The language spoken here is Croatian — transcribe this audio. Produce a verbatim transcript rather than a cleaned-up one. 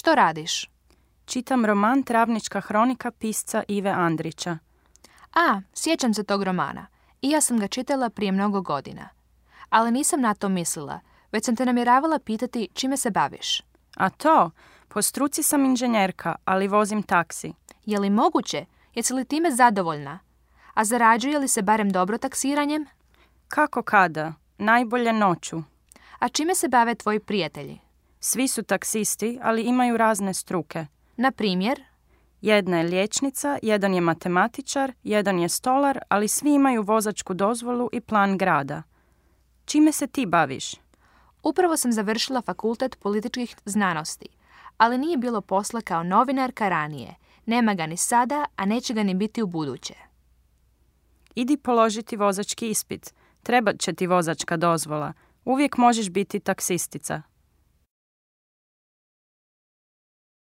Što radiš? Čitam roman Travnička hronika pisca Ive Andrića. A, sjećam se tog romana. I ja sam ga čitala prije mnogo godina. Ali nisam na to mislila, već sam te namjeravala pitati čime se baviš. A to? Po struci sam inženjerka, ali vozim taksi. Je li moguće? Jesi li time zadovoljna? A zarađuje li se barem dobro taksiranjem? Kako kada? Najbolje noću. A čime se bave tvoji prijatelji? Svi su taksisti, ali imaju razne struke. Na primjer? Jedna je liječnica, jedan je matematičar, jedan je stolar, ali svi imaju vozačku dozvolu i plan grada. Čime se ti baviš? Upravo sam završila fakultet političkih znanosti, ali nije bilo posla kao novinarka ranije. Nema ga ni sada, a neće ga ni biti u buduće. Idi položiti vozački ispit. Trebat će ti vozačka dozvola. Uvijek možeš biti taksistica.